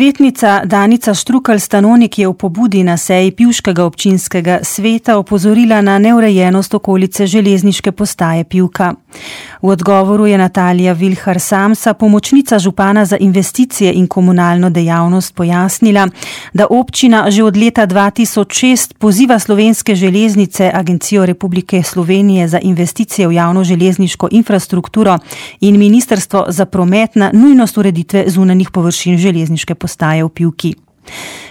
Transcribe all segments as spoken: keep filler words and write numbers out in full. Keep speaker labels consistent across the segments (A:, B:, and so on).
A: Svetnica Danica Štrukelj-Stanonik je v pobudi na seji pivškega občinskega sveta opozorila na neurejenost okolice železniške postaje Pivka. V odgovoru je Natalija Vilhar Samsa, pomočnica župana za investicije in komunalno dejavnost, pojasnila, da občina že od leta dva tisoč šest poziva Slovenske železnice, Agencijo Republike Slovenije za investicije v javno železniško infrastrukturo in Ministrstvo za promet na nujnost ureditve zunanjih površin železniške postaje v Pivki.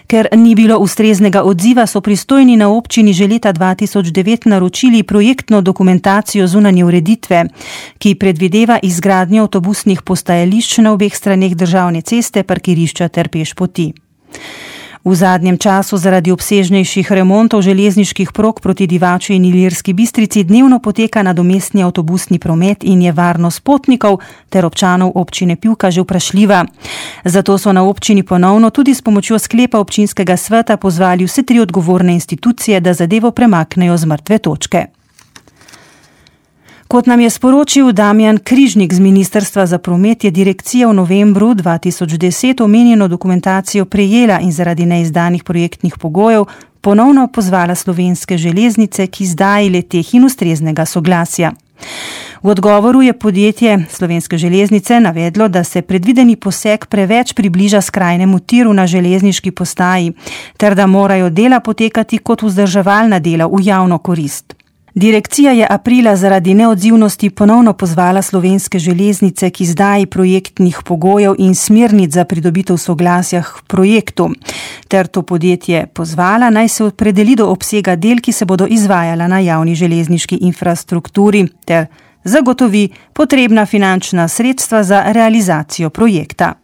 A: Ker ni bilo ustreznega odziva, so pristojni na občini že leta dva tisoč devet naročili projektno dokumentacijo zunanje ureditve, ki predvideva izgradnjo avtobusnih postajališč na obeh straneh državne ceste, parkirišča ter pešpoti. V zadnjem času zaradi obsežnejših remontov železniških prog proti Divači in Ilirski Bistrici dnevno poteka nadomestni avtobusni promet in je varnost potnikov ter občanov občine Pivka že vprašljiva. Zato so na občini ponovno tudi s pomočjo sklepa občinskega sveta pozvali vse tri odgovorne institucije, da zadevo premaknejo z mrtve točke. Kot nam je sporočil Damjan Križnik z Ministrstva za promet, je direkcija v novembru dva tisoč deset omenjeno dokumentacijo prejela in zaradi neizdanih projektnih pogojev ponovno pozvala Slovenske železnice k izdaji le-teh in ustreznega soglasja. V odgovoru je podjetje Slovenske železnice navedlo, da se predvideni poseg preveč približa skrajnemu tiru na železniški postaji, ter da morajo dela potekati kot vzdrževalna dela v javno korist. Direkcija je aprila zaradi neodzivnosti ponovno pozvala Slovenske železnice k izdaji projektnih pogojev in smernic za pridobitev soglasja k projektu, ter to podjetje pozvala, naj se opredeli do obsega del, ki se bodo izvajala na javni železniški infrastrukturi, ter zagotovi potrebna finančna sredstva za realizacijo projekta.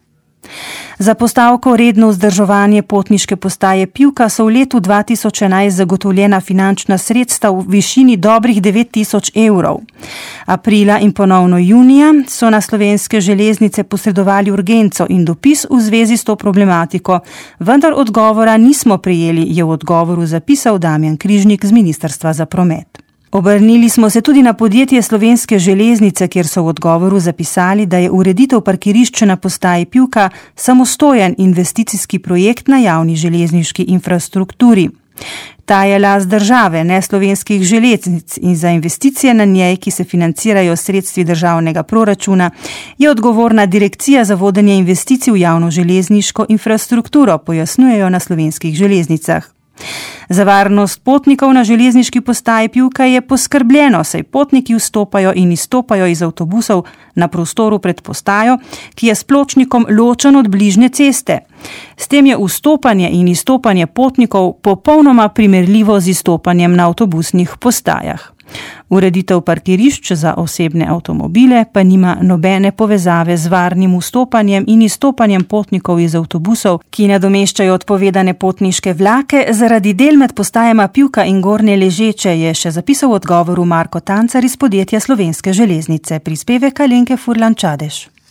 A: Za postavko redno vzdrževanje potniške postaje Pivka so v letu dva tisoč enajst zagotovljena finančna sredstva v višini dobrih devet tisoč evrov. Aprila in ponovno junija so na Slovenske železnice posredovali urgenco in dopis v zvezi s to problematiko, vendar odgovora nismo prejeli, je v odgovoru zapisal Damjan Križnik z Ministrstva za promet. Obrnili smo se tudi na podjetje Slovenske železnice, kjer so v odgovoru zapisali, da je ureditev parkirišča na postaji Pivka samostojen investicijski projekt na javni železniški infrastrukturi. Ta je last države, ne Slovenskih železnic, in za investicije na njej, ki se financirajo s sredstvi državnega proračuna, je odgovorna Direkcija za vodenje investicij v javno železniško infrastrukturo, pojasnjujejo na Slovenskih železnicah. Za varnost potnikov na železniški postaji Pivka je poskrbljeno, saj potniki vstopajo in izstopajo iz avtobusov na prostoru pred postajo, ki je s pločnikom ločen od bližnje ceste. S tem je vstopanje in izstopanje potnikov popolnoma primerljivo z izstopanjem na avtobusnih postajah. Ureditev parkirišč za osebne avtomobile pa nima nobene povezave z varnim vstopanjem in izstopanjem potnikov iz avtobusov, ki nadomeščajo odpovedane potniške vlake zaradi del med postajama Pivka in Gornje Ležeče, je še zapisal v odgovoru Marko Tancar iz podjetja Slovenske železnice. Prispevek Alenke Furlan Čadež.